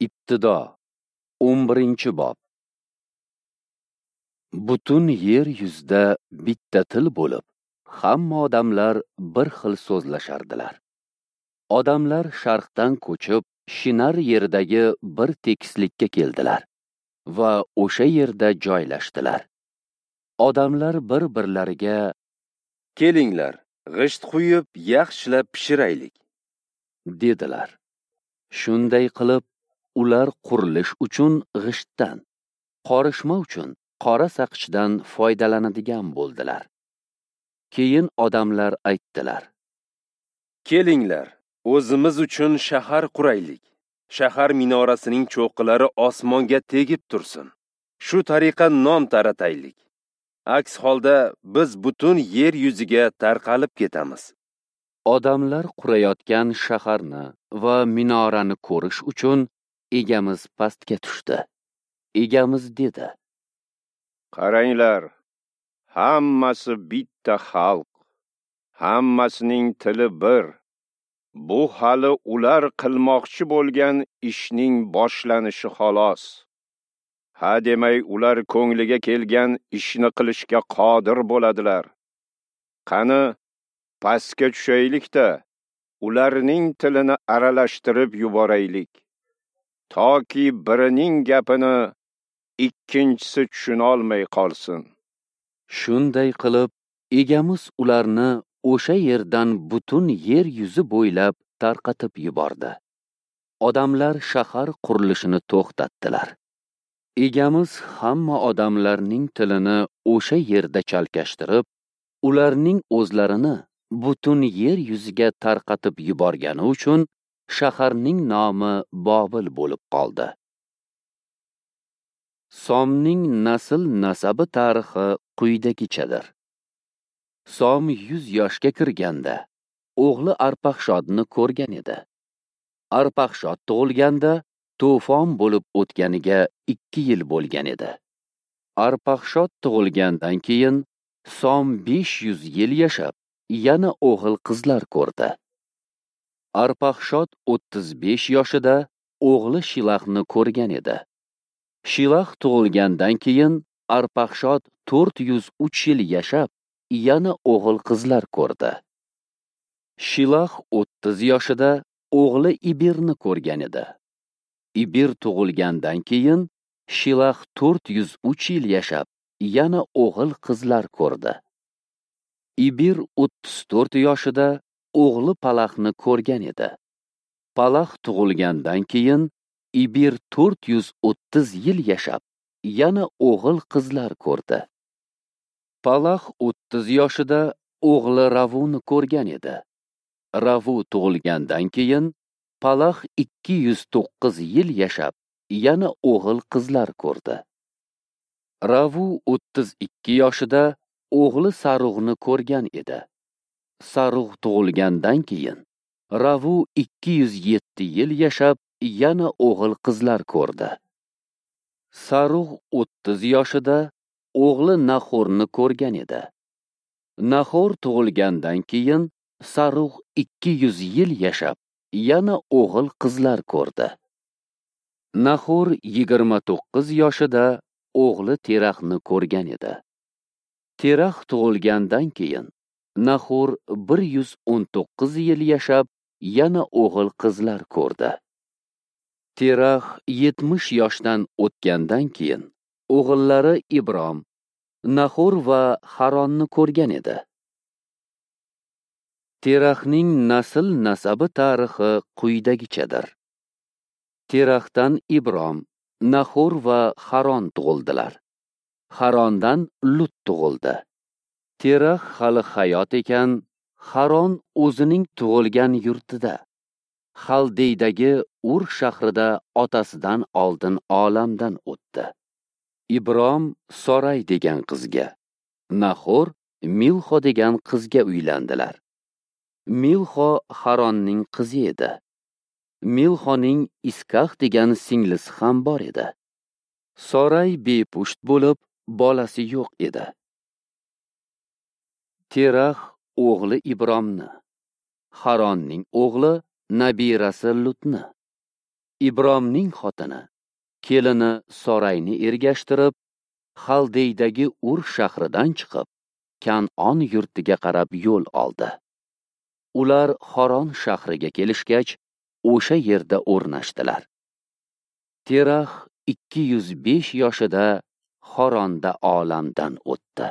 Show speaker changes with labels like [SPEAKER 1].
[SPEAKER 1] Ibtido 11-bob. Butun yer yuzida bitta til bo'lib, hamma odamlar bir xil so'zlashardilar. Odamlar sharqdan ko'chib, Shinar yeridagi bir tekislikka keldilar va o'sha yerda joylashdilar. Odamlar bir-birlariga:
[SPEAKER 2] "Kelinglar, g'isht quyib, yaxshilab pishiraylik",
[SPEAKER 1] dedilar. Shunday qilib, ular qurilish uchun g'ishtdan, qorishma uchun qora saqichdan foydalanadigan bo'ldilar. Keyin odamlar aytdilar:
[SPEAKER 2] "Kelinglar, o'zimiz uchun shahar quraylik. Shahar minorasining cho'qqilari osmonga tegib tursin. Shu tariqa nom tarataylik. Aks holda biz butun yer yuziga tarqalib ketamiz."
[SPEAKER 1] Odamlar qurayotgan shaharni va minorani ko'rish uchun Egamiz pastga tushdi. Egamiz dedi:
[SPEAKER 3] "Qaranglar, hammasi bitta xalq, hammasining tili bir. Bu hali ular qilmoqchi bo'lgan ishning boshlanishi xolos. Ha demay ular ko'ngliga kelgan ishni qilishga qodir bo'ladilar. Qani, pastga tushaylik-da, ularning tilini aralashtirib yuboraylik, toki birining gapini ikkinchisi tushuna olmay qolsin."
[SPEAKER 1] Shunday qilib, Egamiz ularni o'sha yerdan butun yer yuzi bo'ylab tarqatib yubordi. Odamlar shahar qurilishini to'xtatdilar. Egamiz hamma odamlarning tilini o'sha yerda chalkashtirib, ularning o'zlarini butun yer yuziga tarqatib yuborgani uchun shaharning nomi Bobil bo'lib qoldi. Somning nasl nasabi tarixi quyidagichadir. Som 100 yoshga kirganda o'g'li Arpaxshodni ko'rgan edi. Arpaxshod tug'ilganda to'fon bo'lib o'tganiga 2 yil bo'lgan edi. Arpaxshod tug'ilgandan keyin Som 500 yil yashab, yana o'g'il qizlar ko'rdi. Arpaxshod 35 yoshida o'g'li Shilaxni ko'rgan edi. Shilax tug'ilgandan keyin Arpaxshod 403 yil yashab, yana o'g'il qizlar ko'rdi. Shilax 30 yoshida o'g'li Ibirni ko'rgan edi. Ibir tug'ilgandan keyin Shilax 403 yil yashab, yana o'g'il qizlar ko'rdi. Ibir 34 yoshida o'g'li Palaxni ko'rgan edi. Palax tug'ilgandan keyin Ibir 430 yil yashab, yana o'g'il qizlar ko'rdi. Palax 30 yoshida o'g'li Ravuni ko'rgan edi. Ravu tug'ilgandan keyin Palax 209 yil yashab, yana o'g'il qizlar ko'rdi. Ravu 32 yoshida o'g'li Sarug'ni ko'rgan edi. Sarug' tug'ilgandan keyin Ravu 207 yil yashab, yana o'g'il qizlar ko'rdi. Sarug' 30 yoshida o'g'li Nahorni ko'rgan edi. Nahor tug'ilgandan keyin Sarug' 200 yil yashab, yana o'g'il qizlar ko'rdi. Nahor 29 yoshida o'g'li Teraxni ko'rgan edi. Terax tug'ilgandan keyin Nahor 119 yil yashab, yana o'g'il qizlar ko'rdi. Terax 70 yoshdan o'tgandan keyin o'g'illari Ibrom, Nahor va Haronni ko'rgan edi. Teraxning nasl nasabi tarixi quyidagichadir. Teraxdan Ibrom, Nahor va Haron tug'ildilar. Harondan Lut tug'ildi. Terax hali hayot ekan, Haron o'zining tug'ilgan yurtida, Xaldeydagi Ur shahrida otasidan oldin olamdan o'tdi. Ibrom Soray degan qizga, Nahor Milxo degan qizga uylandilar. Milxo Haronning qizi edi. Milxoning Iskax degan singlisi ham bor edi. Soray bepusht bo'lib, bolasi yo'q edi. Terax o'g'li Ibromni, Haronning o'g'li nabirasi Lutni, Ibromning xotini kelini Sorayni ergashtirib, Xaldeydagi Ur shahridan chiqib, Kan'on yurtiga qarab yo'l oldi. Ular Xoron shahriga kelishgach, o'sha yerda o'rnashdilar. Terax 205 yoshida Xoronda olamdan o'tdi.